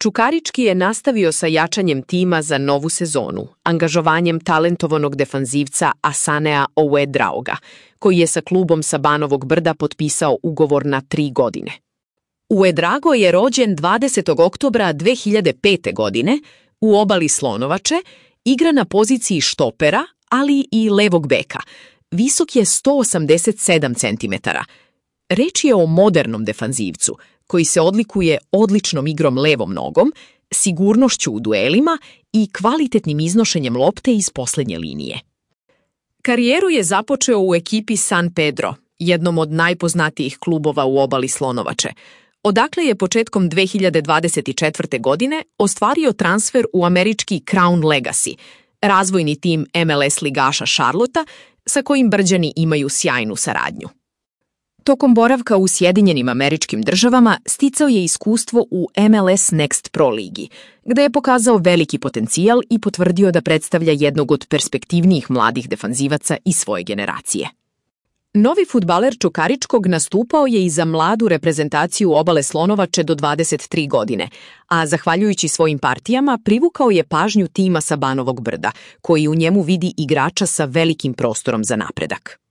Čukarički je nastavio sa jačanjem tima za novu sezonu, angažovanjem talentovanog defanzivca Asanea Ouedraoga, koji je sa klubom sa Banovog Brda potpisao ugovor na 3 godine. Ouedraogo je rođen 20. oktobra 2005. godine u Obali Slonovače, igra na poziciji štopera, ali i levog beka. Visok je 187 cm. Reč je o modernom defanzivcu, koji se odlikuje odličnom igrom levom nogom, sigurnošću u duelima i kvalitetnim iznošenjem lopte iz poslednje linije. Karijeru je započeo u ekipi San Pedro, jednom od najpoznatijih klubova u Obali Slonovače, odakle je početkom 2024. godine ostvario transfer u američki Crown Legacy, razvojni tim MLS ligaša Charlotta, sa kojim Brđani imaju sjajnu saradnju. Tokom boravka u Sjedinjenim Američkim Državama sticao je iskustvo u MLS Next Pro ligi, gde je pokazao veliki potencijal i potvrdio da predstavlja jednog od perspektivnijih mladih defanzivaca iz svoje generacije. Novi fudbaler Čukaričkog nastupao je i za mladu reprezentaciju Obale Slonovače do 23 godine, a zahvaljujući svojim partijama privukao je pažnju tima sa Banovog Brda, koji u njemu vidi igrača sa velikim prostorom za napredak.